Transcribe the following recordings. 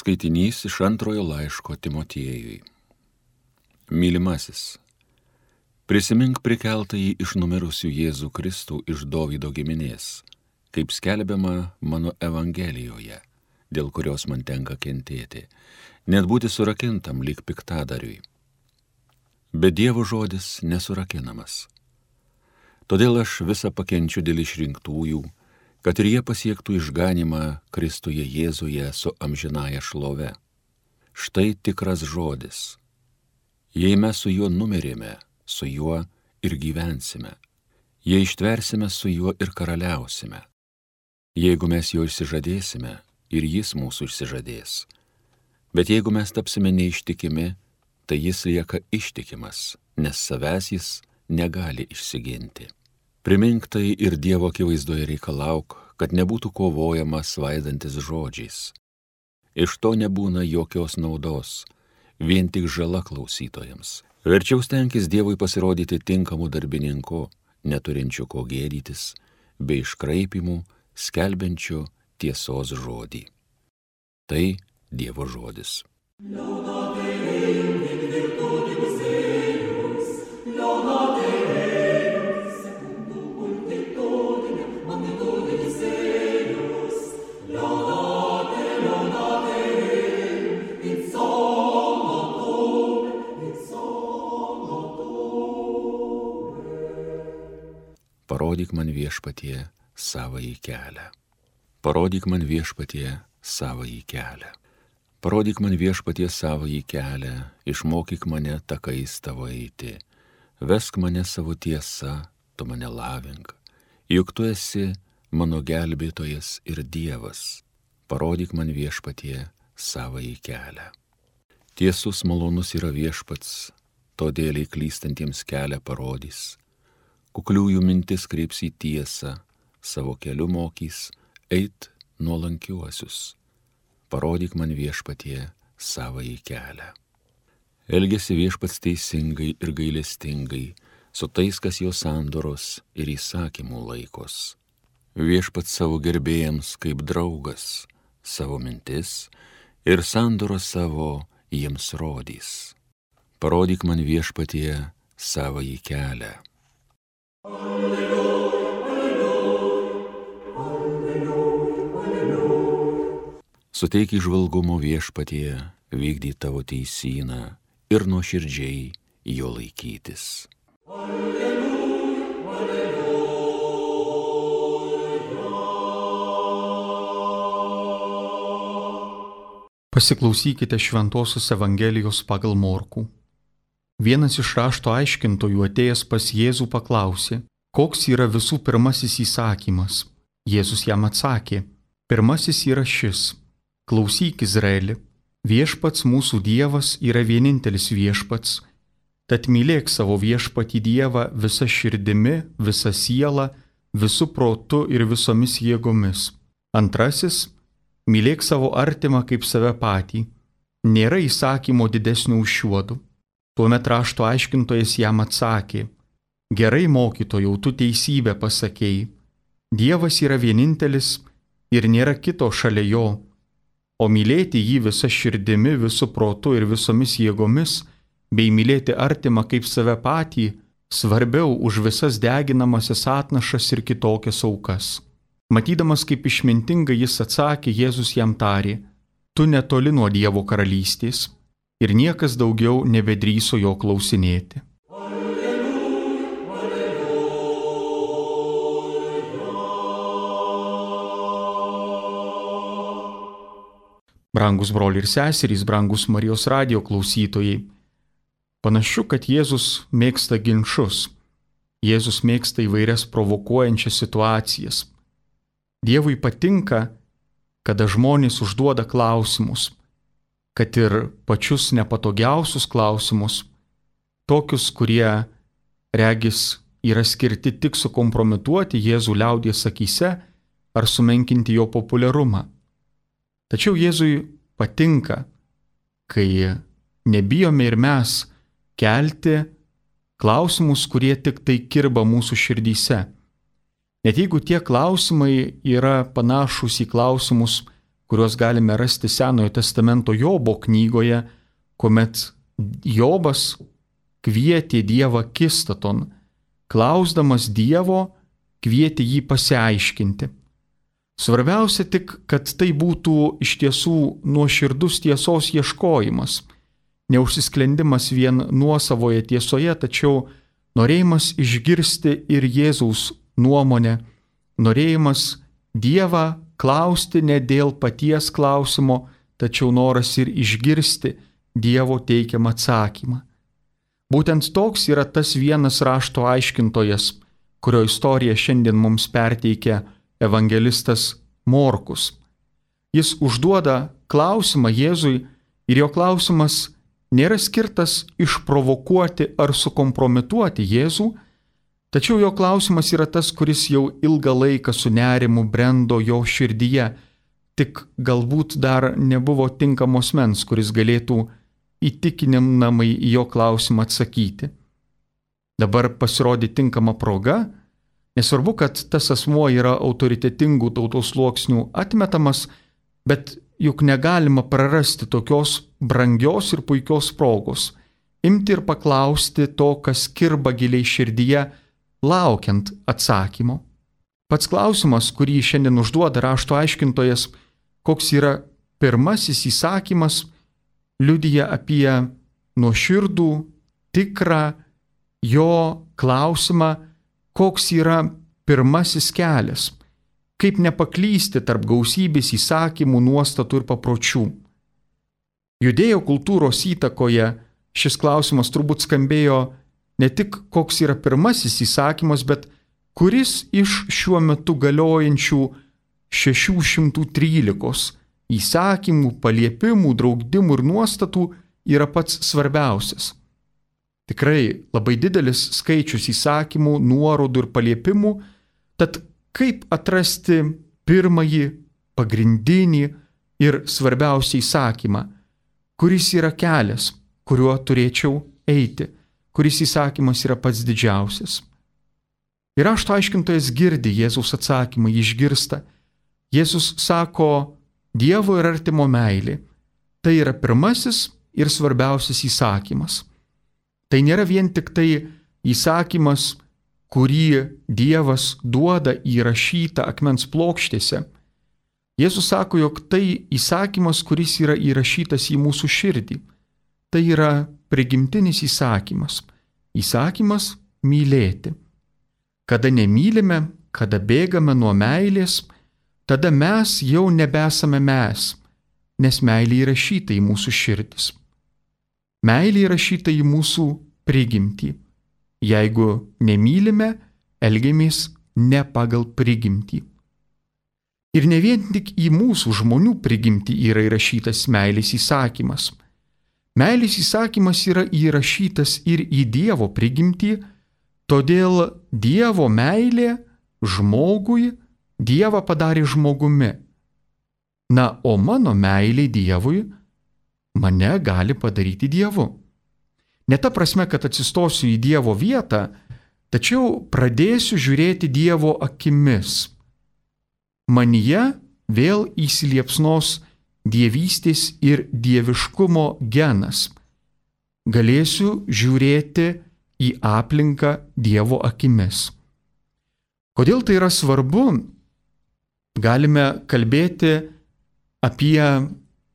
Skaitinys iš antrojo laiško Timotiejui. Mylimasis, prisimink prikeltąjį iš numirusių Jėzų Kristų iš Dovydo giminės, kaip skelbiama mano Evangelijoje, dėl kurios man tenka kentėti, net būti surakintam lyg piktadariui. Bet Dievo žodis nesurakinamas. Todėl aš visą pakenčiu dėl išrinktųjų, kad ir jie pasiektų išganymą Kristuje Jėzuje su amžinąja šlove. Štai tikras žodis. Jei mes su juo numirėme, su juo ir gyvensime. Jei ištversime, su juo ir karaliausime. Jeigu mes jo išsižadėsime, ir jis mūsų išsižadės. Bet jeigu mes tapsime neištikimi, tai jis lieka ištikimas, nes savęs jis negali išsiginti. Primink tai ir Dievo akivaizdoje reikalauk, kad nebūtų kovojama svaidantis žodžiais. Iš to nebūna jokios naudos, vien tik žala klausytojams. Verčiau stenkis Dievui pasirodyti tinkamu darbininku, neturinčiu ko gėdytis, bei iškraipimų, skelbiančiu tiesos žodį. Tai Dievo žodis. Parodyk man Viešpatie savąjį kelią. Parodyk man Viešpatie savąjį kelią. Parodyk man Viešpatie savąjį kelią, išmokyk mane takais tavo eiti. Vesk mane savo tiesa, tu mane lavink. Juk tu esi mano gelbėtojas ir Dievas. Parodyk man Viešpatie savąjį kelią. Tiesus malonus yra Viešpats, todėl klystantiems kelią parodys. Kukliųjų mintis kreips į tiesą, savo keliu mokys, eit nuolankiuosius. Parodyk man Viešpatie savąjį kelią. Elgiasi Viešpats teisingai ir gailestingai, su tais, kas jo sandoros ir įsakymų laikos. Viešpats savo gerbėjams kaip draugas, savo mintis ir sandoros savo jiems rodys. Parodyk man Viešpatie savąjį kelią. Suteik įžvalgumo Viešpatie, vykdyk tavo teisyną ir nuoširdžiai jo laikytis. Pasiklausykite Šventosios Evangelijos pagal Morkų. Vienas iš rašto aiškintojų atėjęs pas Jėzų paklausė, koks yra visų pirmasis įsakymas. Jėzus jam atsakė, pirmasis yra šis: klausyk Izraeli, Viešpats mūsų Dievas yra vienintelis Viešpats, tad mylėk savo Viešpatį Dievą visa širdimi, visa siela, visu protu ir visomis jėgomis. Antrasis, mylėk savo artimą kaip save patį. Nėra įsakymo didesnio už šiuodu. Tuomet rašto aiškintojas jam atsakė, gerai mokytojau, tu teisybę pasakei. Dievas yra vienintelis ir nėra kito šalia jo, o mylėti jį visa širdimi, visu protu ir visomis jėgomis, bei mylėti artimą kaip save patį, svarbiau už visas deginamasias atnašas ir kitokias aukas. Matydamas, kaip išmintingai jis atsakė, Jėzus jam tarė, tu netoli nuo Dievo karalystės, ir niekas daugiau nebedrįso jo klausinėti. Brangus broliai ir seserys, brangus Marijos radijo klausytojai, panašu, kad Jėzus mėgsta ginčus. Jėzus mėgsta įvairias provokuojančias situacijas. Dievui patinka, kada žmonės užduoda klausimus, kad ir pačius nepatogiausius klausimus, tokius, kurie, regis, yra skirti tik sukompromituoti Jėzų liaudies akyse ar sumenkinti jo populiarumą. Tačiau Jėzui patinka, kai nebijome ir mes kelti klausimus, kurie tik tai kirba mūsų širdyse. Net jeigu tie klausimai yra panašūs į klausimus, kuriuos galime rasti Senojo testamento Jobo knygoje, kuomet Jobas kvietė Dievą akistaton, klausdamas Dievo, kvietė jį pasiaiškinti. Svarbiausia tik, kad tai būtų iš tiesų nuoširdus tiesos ieškojimas, neužsisklendimas vien nuosavoje tiesoje, tačiau norėjimas išgirsti ir Jėzaus nuomonę, norėjimas Dievą klausti ne dėl paties klausimo, tačiau noras ir išgirsti Dievo teikiamą atsakymą. Būtent toks yra tas vienas rašto aiškintojas, kurio istoriją šiandien mums perteikia evangelistas Morkus. Jis užduoda klausimą Jėzui ir jo klausimas nėra skirtas išprovokuoti ar sukompromituoti Jėzų, tačiau jo klausimas yra tas, kuris jau ilgą laiką su nerimu brendo jo širdyje, tik galbūt dar nebuvo tinkamos mens, kuris galėtų įtikinamai į jo klausimą atsakyti. Dabar pasirodė tinkama proga, nesvarbu, kad tas asmuo yra autoritetingų tautos sluoksnių atmetamas, bet juk negalima prarasti tokios brangios ir puikios progos, imti ir paklausti to, kas kirba giliai širdyje, laukiant atsakymo. Pats klausimas, kurį šiandien užduoda rašto aiškintojas, koks yra pirmasis įsakymas, liudija apie nuoširdų, tikrą jo klausimą, koks yra pirmasis kelias, kaip nepaklysti tarp gausybės įsakymų, nuostatų ir papročių. Judėjo kultūros įtakoje šis klausimas turbūt skambėjo ne tik koks yra pirmasis įsakymas, bet kuris iš šiuo metu galiojančių 613 įsakymų, paliepimų, draudimų ir nuostatų yra pats svarbiausias. Tikrai labai didelis skaičius įsakymų, nuorodų ir paliepimų, tad kaip atrasti pirmąjį, pagrindinį ir svarbiausią įsakymą, kuris yra kelias, kuriuo turėčiau eiti, kuris įsakymas yra pats didžiausias. Ir rašto aiškintojas girdi Jėzaus atsakymą, jį išgirsta. Jėzus sako, Dievo ir artimo meilė. Tai yra pirmasis ir svarbiausias įsakymas. Tai nėra vien tik tai įsakymas, kurį Dievas duoda įrašytą akmens plokštėse. Jėzus sako, jog tai įsakymas, kuris yra įrašytas į mūsų širdį. Tai yra prigimtinis įsakymas. Įsakymas mylėti. Kada nemylime, kada bėgame nuo meilės, tada mes jau nebesame mes, nes meilė įrašyta į mūsų širdis. Meilė įrašyta į mūsų prigimtį. Jeigu nemylime, elgiamės ne pagal prigimtį. Ir ne vien tik į mūsų žmonių prigimtį yra įrašytas meilės įsakymas. Meilės įsakymas yra įrašytas ir į Dievo prigimtį, todėl Dievo meilė žmogui Dievą padarė žmogumi. Na, o mano meilė Dievui mane gali padaryti Dievu. Ne ta prasme, kad atsistosiu į Dievo vietą, tačiau pradėsiu žiūrėti Dievo akimis. Manyje vėl įsiliepsnos dievystės ir dieviškumo genas. Galėsiu žiūrėti į aplinką Dievo akimis. Kodėl tai yra svarbu? Galime kalbėti apie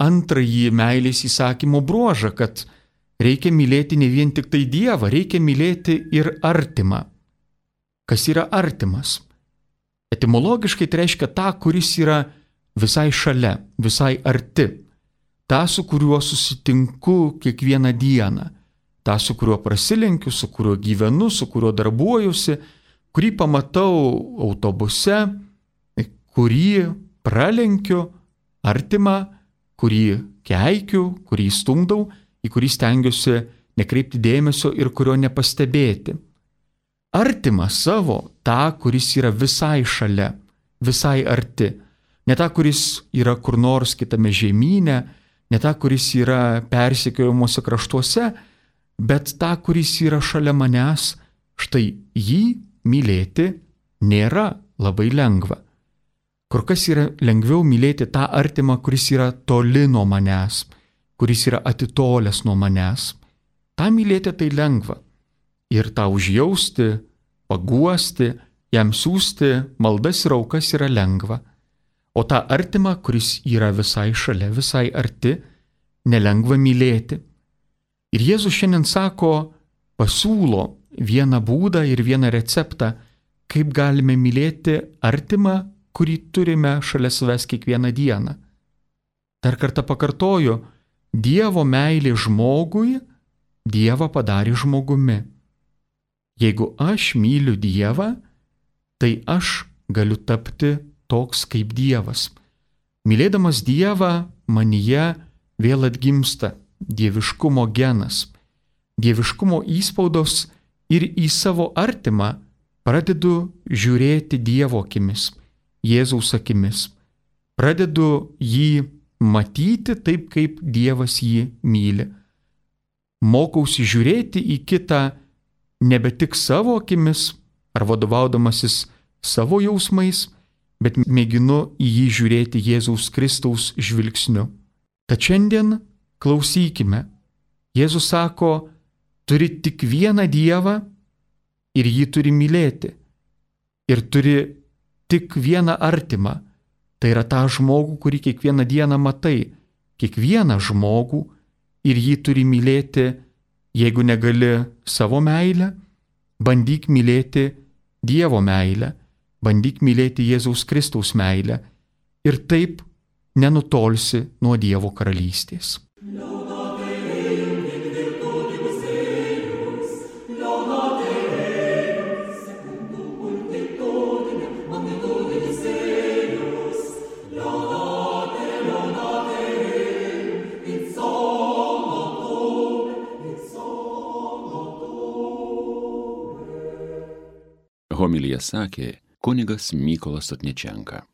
antrąjį meilės įsakymo bruožą, kad reikia mylėti ne vien tik tai Dievą, reikia mylėti ir artimą. Kas yra artimas? Etimologiškai tai reiškia tą, kuris yra visai šalia, visai arti. tą, su kuriuo susitinku kiekvieną dieną, tą, su kuriuo prasilenkiu, su kuriuo gyvenu, su kuriuo darbuojuosi, kurį pamatau autobuse, kurį pralenkiu, artimą, kurį keikiu, kurį stumdau, į kurį stengiuosi nekreipti dėmesio ir kurio nepastebėti. Artimą savo, tą, kuris yra visai šalia, visai arti. Ne tą, kuris yra kur nors kitame žemyne, ne tą, kuris yra persekiojamuose kraštuose, bet tą, kuris yra šalia manęs. Štai jį mylėti nėra labai lengva. Kur kas yra lengviau mylėti tą artimą, kuris yra toli nuo manęs, kuris yra atitolęs nuo manęs. Ta mylėti tai lengva. Ir tą užjausti, paguosti, jam siūsti maldas ir aukas yra lengva. O tą artimą, kuris yra visai šalia, visai arti, nelengva mylėti. Ir Jėzus šiandien sako, pasiūlo vieną būdą ir vieną receptą, kaip galime mylėti artimą, kurį turime šalia savęs kiekvieną dieną. Dar kartą pakartoju, Dievo meilė žmogui Dievą padarė žmogumi. Jeigu aš myliu Dievą, tai aš galiu tapti toks kaip Dievas. Mylėdamas Dievą, manyje vėl atgimsta dieviškumo genas, dieviškumo įspaudos ir į savo artimą pradedu žiūrėti Dievo akimis, Jėzaus akimis. Pradedu jį matyti taip, kaip Dievas jį myli. Mokausi žiūrėti į kitą nebe tik savo akimis ar vadovaudamasis savo jausmais, bet mėginu į jį žiūrėti Jėzaus Kristaus žvilgsniu. Tad šiandien klausykime. Jėzus sako, turi tik vieną Dievą ir jį turi mylėti. Ir turi tik vieną artimą. Tai yra tą žmogų, kurį kiekvieną dieną matai. Kiekvieną žmogų ir jį turi mylėti. Jeigu negali savo meilę, bandyk mylėti Dievo meilę. Bandyk mylėti Jėzaus Kristaus meilę. Ir taip nenutolsi nuo Dievo karalystės. Homiliją sakė kunigas Mykolas Sotničenka.